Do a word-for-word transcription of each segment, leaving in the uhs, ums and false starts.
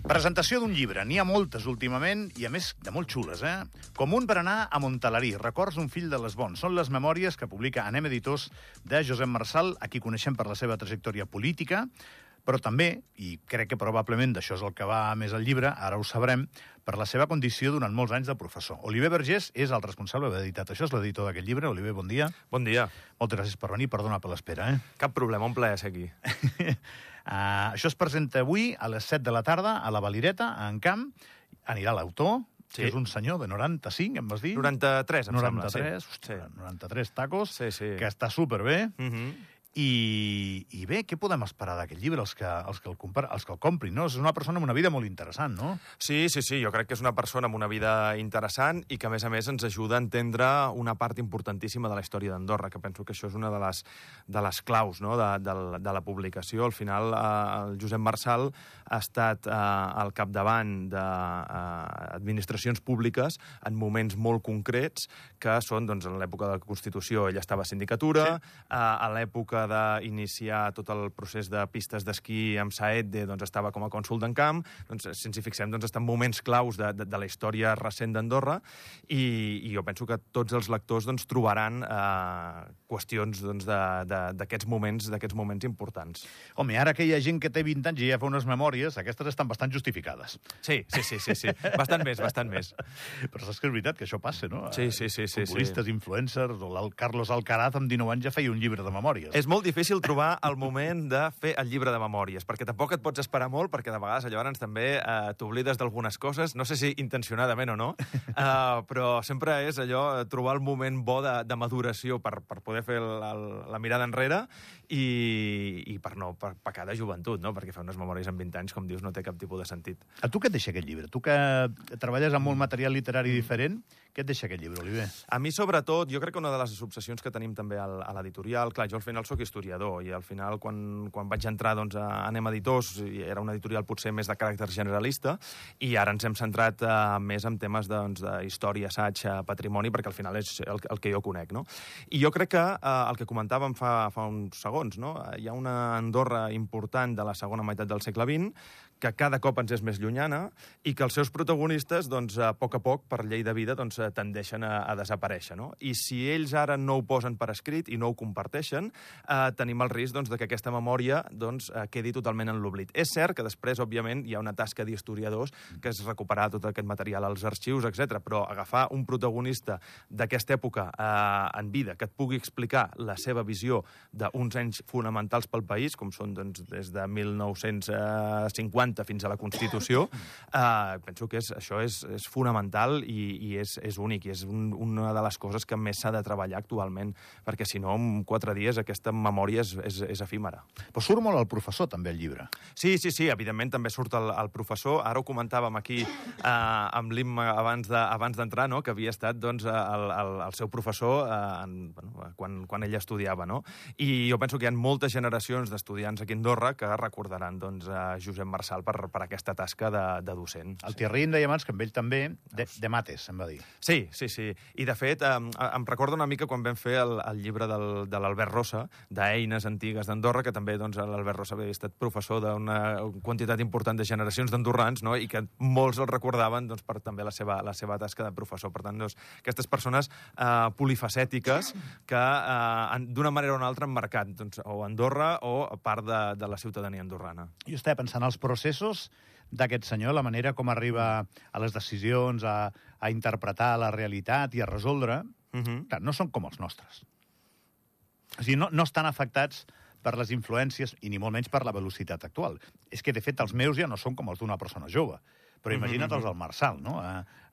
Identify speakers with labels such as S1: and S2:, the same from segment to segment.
S1: Presentació d'un llibre. N'hi ha moltes últimament i, a més, de molt xules, eh? Com un per anar a Montalarí. Records d'un fill de les bons. Són les memòries que publica Anem Editors de Josep Marsal, a qui coneixem per la seva trajectòria política, però també, i crec que probablement d'això és el que va més al llibre, ara ho sabrem, per la seva condició durant molts anys de professor. Oliver Vergés és el responsable d'haver editat això, és l'editor d'aquest llibre. Oliver, bon dia.
S2: Bon dia.
S1: Moltes gràcies per venir, perdona per l'espera, eh?
S2: Cap problema, un plaer ser aquí.
S1: uh, això es presenta avui a les set de la tarda a la Valireta, a Encamp. Anirà l'autor, sí, que és un senyor de noranta-cinc, em vas dir?
S2: noranta-tres, em
S1: noranta-tres,
S2: sembla,
S1: sí. Ostres, sí. noranta-tres tacos,
S2: sí, sí.
S1: Que està superbé.
S2: Uh -huh.
S1: I, I bé, què podem esperar d'aquest llibre, els que, els, que el compar, els que el comprin, no? És una persona amb una vida molt interessant, no?
S2: Sí, sí, sí, jo crec que és una persona amb una vida interessant i que, a més a més, ens ajuda a entendre una part importantíssima de la història d'Andorra, que penso que això és una de les, de les claus, no?, de, de, de la publicació. Al final, eh, el Josep Marsal ha estat eh, al capdavant d'administracions públiques en moments molt concrets, que són, doncs, en l'època de la Constitució ell estava a sindicatura, sí. eh, a l'època d'iniciar tot el procés de pistes d'esquí amb Saedde, doncs estava com a cònsol d'Encamp. Doncs, si ens hi fixem, doncs estan moments claus de, de, de la història recent d'Andorra i, i jo penso que tots els lectors doncs, trobaran eh, qüestions doncs, d'aquests moments, d'aquests moments importants.
S1: Home, ara que hi ha gent que té vint anys i ja fa unes memòries, aquestes estan bastant justificades.
S2: Sí, sí, sí, sí, sí. Bastant més, bastant més.
S1: Però saps que és veritat que això passa, no?
S2: Sí, sí, sí. sí
S1: Futbolistes,
S2: sí.
S1: influencers, o el Carlos Alcaraz amb dinou anys ja feia un llibre de memòries.
S2: És molt difícil trobar el moment de fer el llibre de memòries, perquè tampoc et pots esperar molt, perquè de vegades llavors també eh, t'oblides d'algunes coses, no sé si intencionadament o no, eh, però sempre és allò, trobar el moment bo de, de maduració per, per poder fer el, el, la mirada enrere i, i per no per pecar de joventut, no? Perquè fer unes memòries amb vint anys, com dius, no té cap tipus de sentit.
S1: A tu què et deixa aquest llibre? Tu que treballes amb molt material literari diferent, què et deixa aquest llibre, Oliver?
S2: A mi, sobretot, jo crec que una de les obsessions que tenim també al, a l'editorial, clar, jo al final soc historiador i al final quan, quan vaig entrar doncs, a Anem Editors era una editorial potser més de caràcter generalista i ara ens hem centrat uh, més en temes doncs, d'història, assaig, patrimoni, perquè al final és el, el que jo conec, no? I jo crec que uh, el que comentàvem fa, fa uns segons, no? Hi ha una Andorra important de la segona meitat del segle vint que cada cop ens és més llunyana i que els seus protagonistes, doncs, a poc a poc, per llei de vida, doncs, tendeixen a, a desaparèixer, no? I si ells ara no ho posen per escrit i no ho comparteixen, eh, tenim el risc doncs, de que aquesta memòria doncs, eh, quedi totalment en l'oblit. És cert que després, òbviament, hi ha una tasca d'historiadors que és recuperar tot aquest material als arxius, etcètera, però agafar un protagonista d'aquesta època eh, en vida que et pugui explicar la seva visió d'uns anys fonamentals pel país, com són doncs, des de mil nou-cents cinquanta fins a la Constitució, eh, penso que és, això és, és fonamental i, i és, és únic, i és un, una de les coses que més s'ha de treballar actualment, perquè si no, en quatre dies aquesta memòria és, és, és efímera.
S1: Però surt molt el professor, també, al llibre.
S2: Sí, sí, sí, evidentment també surt el, el professor. Ara ho comentàvem aquí eh, amb l'Imma abans de, abans d'entrar, no?, que havia estat doncs, el, el, el seu professor eh, en, bueno, quan, quan ell estudiava, no? I jo penso que hi ha moltes generacions d'estudiants aquí a Andorra que recordaran doncs, a Josep Marsal Per, per aquesta tasca de, de docent.
S1: El Thierry em deia abans que amb ell també, de, de mates, em va dir.
S2: Sí, sí, sí. I de fet, em, em recordo una mica quan vam fer el, el llibre del, de l'Albert Rossa, d'Eines Antigues d'Andorra, que també doncs, l'Albert Rossa havia estat professor d'una quantitat important de generacions d'andorrans, no?, i que molts el recordaven doncs, per també la seva, la seva tasca de professor. Per tant, doncs, aquestes persones eh, polifacètiques que eh, d'una manera o una altra han marcat doncs, o Andorra o part de, de la ciutadania andorrana.
S1: Jo estava pensant als processos d'aquest senyor, la manera com arriba a les decisions, a, a interpretar la realitat i a resoldre, uh-huh. Clar, no són com els nostres. O sigui, no, no estan afectats per les influències i ni molt menys per la velocitat actual. És que, de fet, els meus ja no són com els d'una persona jove. Però imagina't els del Marsal, no?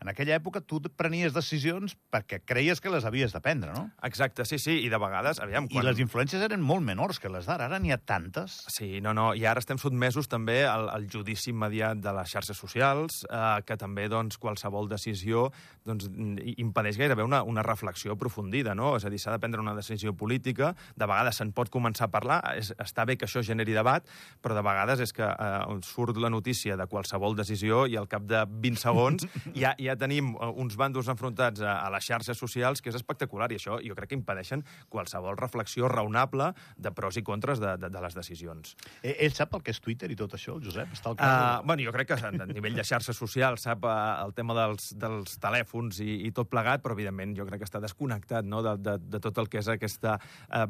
S1: En aquella època tu prenies decisions perquè creies que les havies de prendre, no?
S2: Exacte, sí, sí, i de vegades, aviam...
S1: Quan... I les influències eren molt menors que les d'ara, ara n'hi ha tantes.
S2: Sí, no, no, i ara estem sotmesos també al, al judici immediat de les xarxes socials, eh, que també, doncs, qualsevol decisió doncs, impedeix gairebé una, una reflexió aprofundida, no? És a dir, s'ha de prendre una decisió política, de vegades se'n pot començar a parlar, és, està bé que això generi debat, però de vegades és que eh, surt la notícia de qualsevol decisió i al cap de vint segons ja, ja tenim uns bàndols enfrontats a, a les xarxes socials, que és espectacular, i això jo crec que impedeixen qualsevol reflexió raonable de pros i contres de, de, de les decisions.
S1: Eh, ell sap el que és Twitter i tot això, el Josep? Està al
S2: uh, bueno, jo crec que a nivell de xarxes socials sap uh, el tema dels, dels telèfons i, i tot plegat, però evidentment jo crec que està desconnectat, no?, de, de, de tot el que és aquesta uh,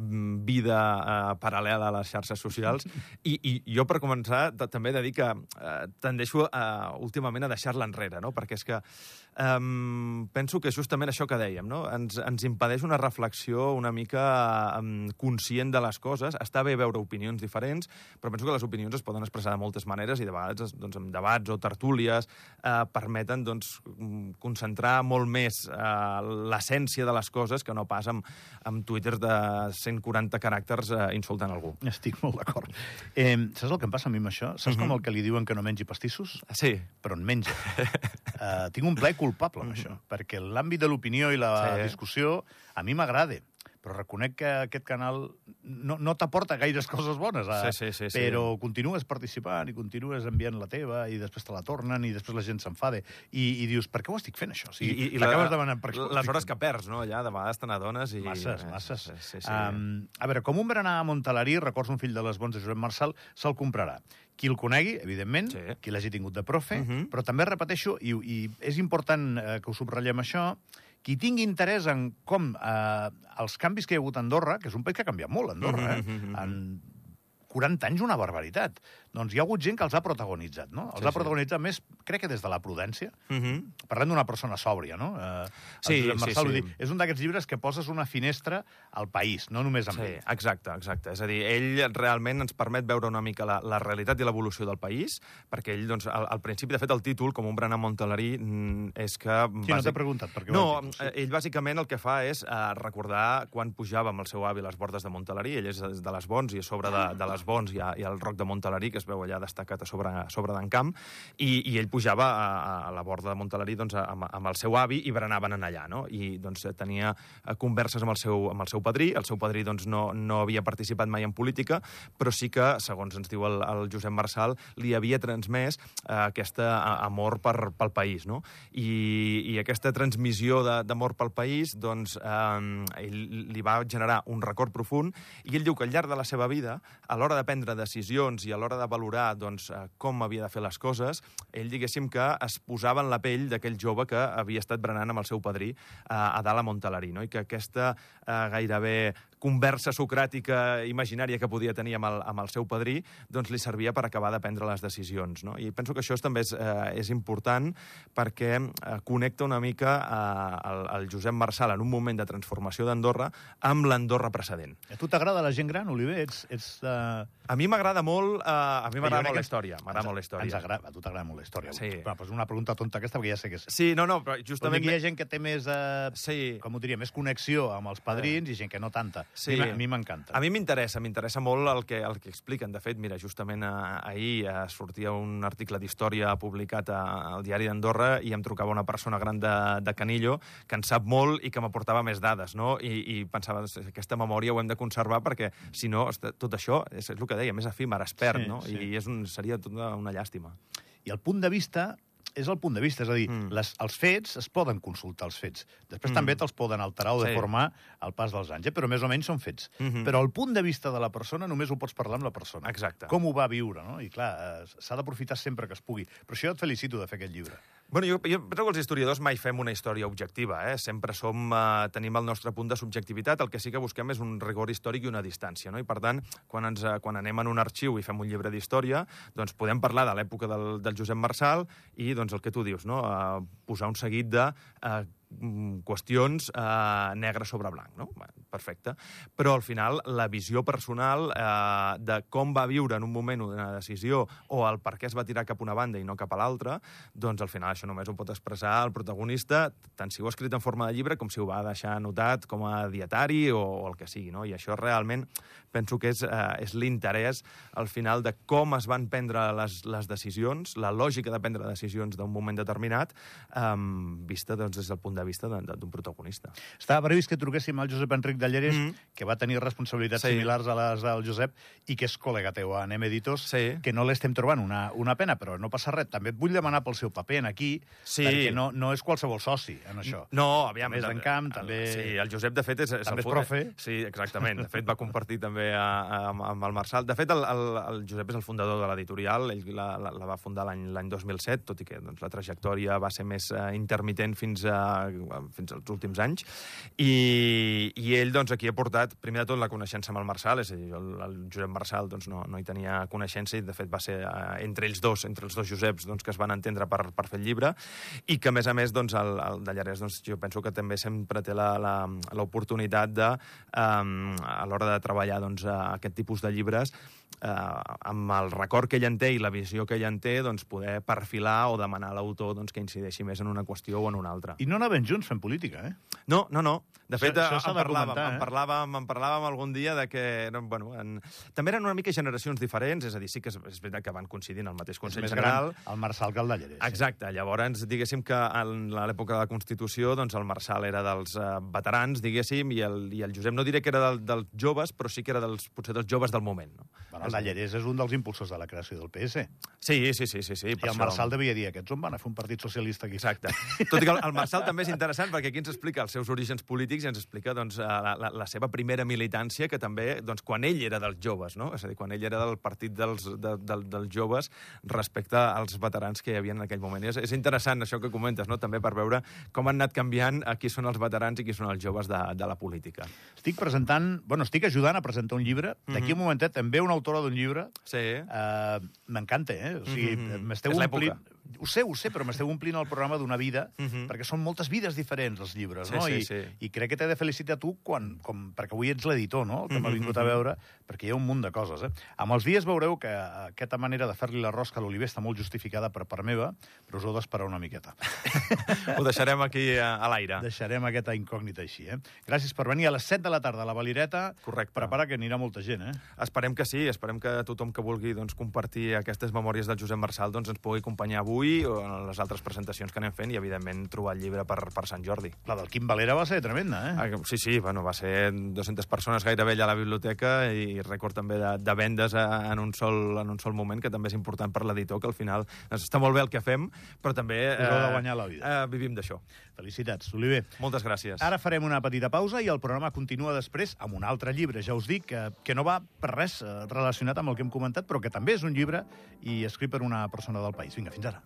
S2: vida uh, paral·lela a les xarxes socials. I, i jo, per començar, també he de dir que uh, tendeixo uh, últimament a deixar-la enrere, no?, perquè és que um, penso que és justament això que dèiem, no?, ens, ens impedeix una reflexió una mica um, conscient de les coses. Està bé veure opinions diferents, però penso que les opinions es poden expressar de moltes maneres i de vegades doncs, en debats o tertúlies eh, permeten doncs, concentrar molt més eh, l'essència de les coses que no pas amb, amb twitters de cent quaranta caràcters eh, insultant algú.
S1: Estic molt d'acord. Eh, saps el que em passa a mi amb això? Saps uh-huh. com el que li diuen que no mengi pastissos?
S2: Sí.
S1: Però en menja. uh, tinc un plaer culpable amb uh-huh. això, perquè l'àmbit de l'opinió i la sí. discussió a mi m'agrada, però reconec que aquest canal no, no t'aporta gaires coses bones, eh?
S2: sí, sí, sí, sí.
S1: Però continues participant i continues enviant la teva i després te la tornen i després la gent s'enfada i, i dius, per què ho estic fent, això? O sigui,
S2: I, i
S1: t'acabes
S2: la,
S1: demanant per què
S2: les hores que perds, no? Allà, de vegades te n'adones i...
S1: Masses, masses.
S2: Sí, sí, sí.
S1: Um, a veure, com un berenar a Montalarí, records un fill de les bons de Josep Marçal, se'l comprarà. Qui el conegui, evidentment, sí. qui l'hagi tingut de profe, uh -huh. però també repeteixo, i, i és important eh, que ho subratllem això, qui tingui interès en com eh, els canvis que hi ha hagut a Andorra, que és un país que ha canviat molt, Andorra, eh? Uh -huh. En quaranta anys, una barbaritat. Doncs hi ha hagut gent que els ha protagonitzat, no? Els sí, ha protagonitzat sí. més, crec que des de la prudència. Uh -huh. Parlem d'una persona sòbria, no? Eh,
S2: sí,
S1: Marçal,
S2: sí, sí.
S1: Dir, és un d'aquests llibres que poses una finestra al país, no només amb
S2: sí,
S1: ell.
S2: Exacte, exacte. És a dir, ell realment ens permet veure una mica la, la realitat i l'evolució del país, perquè ell, doncs, al, al principi, de fet, el títol, com un berenar a Montalarí, és que...
S1: Sí, bàsic... no t'he preguntat per què
S2: no,
S1: el títol, sí.
S2: ell bàsicament el que fa és uh, recordar quan pujava amb el seu avi a les bordes de Montalarí. Ell és de les Bons i a sobre de, de les Bons hi ha, hi ha el Roc de Montalarí, que es veu allà destacat a sobre, a sobre d'en Camp, i, i ell pujava a, a la borda de Montalarí doncs, amb, amb el seu avi i berenaven en allà, no? I doncs, tenia converses amb el seu, amb el seu padrí. El seu padrí doncs, no, no havia participat mai en política, però sí que, segons ens diu el, el Josep Marçal, li havia transmès eh, aquest amor per, pel país, no? I, i aquesta transmissió d'amor pel país, doncs, eh, ell li va generar un record profund, i ell diu que al llarg de la seva vida, a l'hora de prendre decisions i a l'hora de valorar doncs, com havia de fer les coses, ell, diguéssim, que es posava en la pell d'aquell jove que havia estat berenant amb el seu padrí eh, a dalt a Montalarí, no? I que aquesta eh, gairebé conversa socràtica imaginària que podia tenir amb el, amb el seu padrí, doncs li servia per acabar de prendre les decisions, no? I penso que això també és, eh, és important perquè eh, connecta una mica eh, el, el Josep Marçal en un moment de transformació d'Andorra amb l'Andorra precedent.
S1: A tu t'agrada la gent gran, Oliver? Ets, ets, uh...
S2: A mi m'agrada molt, eh, a mi m'agrada molt la història. M'agrada molt la història.
S1: Ens agrada, a tu t'agrada molt la història.
S2: Sí.
S1: Però, però és una pregunta tonta aquesta, perquè ja sé que és...
S2: Sí, no, no, però justament...
S1: Hi ha gent que té més, eh,
S2: sí.
S1: com ho diria, més connexió amb els padrins i gent que no tanta.
S2: Sí.
S1: A mi m'encanta.
S2: A mi m'interessa, m'interessa molt el que, el que expliquen. De fet, mira, justament ahir eh, sortia un article d'història publicat a, al Diari d'Andorra i em trucava una persona gran de, de Canillo que en sap molt i que m'aportava més dades, no? I, i pensava, aquesta memòria ho hem de conservar perquè, si no, tot això, és, és el que deia, més efímer, es perd, sí, no? Sí. I és un, seria tota una llàstima.
S1: I el punt de vista és el punt de vista, és a dir, mm. les, els fets es poden consultar, els fets. Després mm. també te'ls poden alterar o
S2: sí.
S1: deformar al pas dels anys, eh? Però més o menys són fets. Mm -hmm. Però el punt de vista de la persona només ho pots parlar amb la persona.
S2: Exacte.
S1: Com ho va viure, no? I clar, s'ha d'aprofitar sempre que es pugui. Però això jo et felicito de fer aquest llibre.
S2: Bueno, jo, jo penso que els historiadors mai fem una història objectiva, eh? Sempre som, eh, tenim el nostre punt de subjectivitat, el que sí que busquem és un rigor històric i una distància, no? I per tant, quan, ens, quan anem en un arxiu i fem un llibre d'història, doncs podem parlar de l'època del, del Josep Marçal i doncs el que tu dius, no? Uh, posar un seguit de uh, qüestions eh, negre sobre blanc, no? Perfecte. Però, al final, la visió personal eh, de com va viure en un moment una decisió o el per què es va tirar cap a una banda i no cap a l'altra, doncs, al final, això només ho pot expressar el protagonista, tant si ho ha escrit en forma de llibre com si ho va deixar anotat com a dietari o, o el que sigui, no? I això realment penso que és, eh, és l'interès, al final, de com es van prendre les, les decisions, la lògica de prendre decisions d'un moment determinat, eh, vista doncs, des del punt de de vista d'un protagonista.
S1: Estava previst que truquéssim al Josep Enric de Llerès, mm. que va tenir responsabilitats sí. similars a les del Josep, i que és col·lega teu a Anem Editors,
S2: sí.
S1: que no l'estem trobant una, una pena, però no passa res. També et vull demanar pel seu paper en aquí, sí. perquè no, no és qualsevol soci en això.
S2: No, aviam.
S1: També és d'encamp, també...
S2: Sí, el Josep, de fet, és... és
S1: també
S2: el,
S1: és profe.
S2: Sí, exactament. De fet, va compartir també a, a, amb el Marçal. De fet, el, el, el Josep és el fundador de l'editorial, ell la, la, la va fundar l'any dos mil set, tot i que doncs, la trajectòria va ser més uh, intermitent fins, a, fins als últims anys, i, i ell doncs, aquí ha portat, primer de tot, la coneixença amb el Marçal, és a dir, el, el Josep Marçal doncs, no, no hi tenia coneixença, i de fet va ser uh, entre ells dos, entre els dos Joseps, doncs, que es van entendre per, per fer el llibre, i que, a més a més, doncs, el, el de Llerès, doncs, jo penso que també sempre té l'oportunitat de, um, a l'hora de treballar doncs, aquest tipus de llibres, eh, amb el record que ell en té i la visió que ell en té, doncs, poder perfilar o demanar a l'autor doncs, que incideixi més en una qüestió o en una altra.
S1: I no anaven junts fent política, eh?
S2: No, no, no. De fet,
S1: això, això
S2: en, parlàvem,
S1: comentar, eh?
S2: en, parlàvem, en parlàvem algun dia de que... No, bueno, en... També eren una mica generacions diferents, és a dir, sí que és, és veritat que van coincidir en el mateix Consell General.
S1: El Marçal que el de Llerès.
S2: Exacte. Sí. Llavors, diguéssim que en l'època de la Constitució, doncs el Marçal era dels uh, veterans, diguéssim, i el, i el Josep no diré que era del, dels joves, però sí que era dels, potser dels joves del moment. No?
S1: Bueno, el de Llerès és un dels impulsors de la creació del P S.
S2: Sí, sí, sí. sí, sí
S1: I el
S2: això...
S1: Marçal devia dir, aquests on van a fer un partit socialista aquí.
S2: Exacte. Tot i que el, el Marçal també és interessant perquè aquí ens explica els seus orígens polítics i ens explica doncs, la, la, la seva primera militància, que també, doncs, quan ell era dels joves, no? És a dir, quan ell era del partit dels, de, de, dels joves respecte als veterans que hi havia en aquell moment. És, és interessant això que comentes, no? També per veure com han anat canviant a qui són els veterans i qui són els joves de, de la política.
S1: Estic presentant, bueno, estic ajudant a presentar un llibre. D'aquí mm -hmm. un momentet em ve una autora d'un llibre.
S2: Sí.
S1: Uh, M'encanta, eh? O sigui, mm -hmm. m'esteu
S2: és
S1: omplint... Ho sé, ho sé, però m'esteu omplint el programa d'una vida, uh -huh. perquè són moltes vides diferents, els llibres,
S2: sí,
S1: no?
S2: Sí,
S1: I,
S2: sí.
S1: I crec que t'he de felicitar tu, quan, com, perquè avui ets l'editor, no?, que m'ha vingut a veure, perquè hi ha un munt de coses, eh? Amb els dies veureu que aquesta manera de fer-li la rosca a l'Oliver està molt justificada per part meva, però us heu d'esperar una miqueta.
S2: Ho deixarem aquí a, a l'aire.
S1: Deixarem aquesta incògnita així, eh? Gràcies per venir a les set de la tarda a la Valireta.
S2: Correcte.
S1: Prepara que anirà molta gent, eh?
S2: Esperem que sí, esperem que tothom que vulgui doncs, compartir aquestes memòries del Josep Marçal doncs, ens pugui acompanyar avui o en les altres presentacions que anem fent i, evidentment, trobar el llibre per, per Sant Jordi.
S1: La del Quim Valera va ser tremenda, eh?
S2: Ah, sí, sí, bueno, va ser dues-centes persones gairebé allà a la biblioteca i rècord també de, de vendes en un, sol, en un sol moment, que també és important per l'editor, que al final doncs, està molt bé el que fem, però també
S1: Us heu de guanyar la vida.
S2: Eh, vivim d'això.
S1: Felicitats, Oliver.
S2: Moltes gràcies.
S1: Ara farem una petita pausa i el programa continua després amb un altre llibre, ja us dic, que, que no va per res relacionat amb el que hem comentat, però que també és un llibre i escrit per una persona del país. Vinga, fins ara.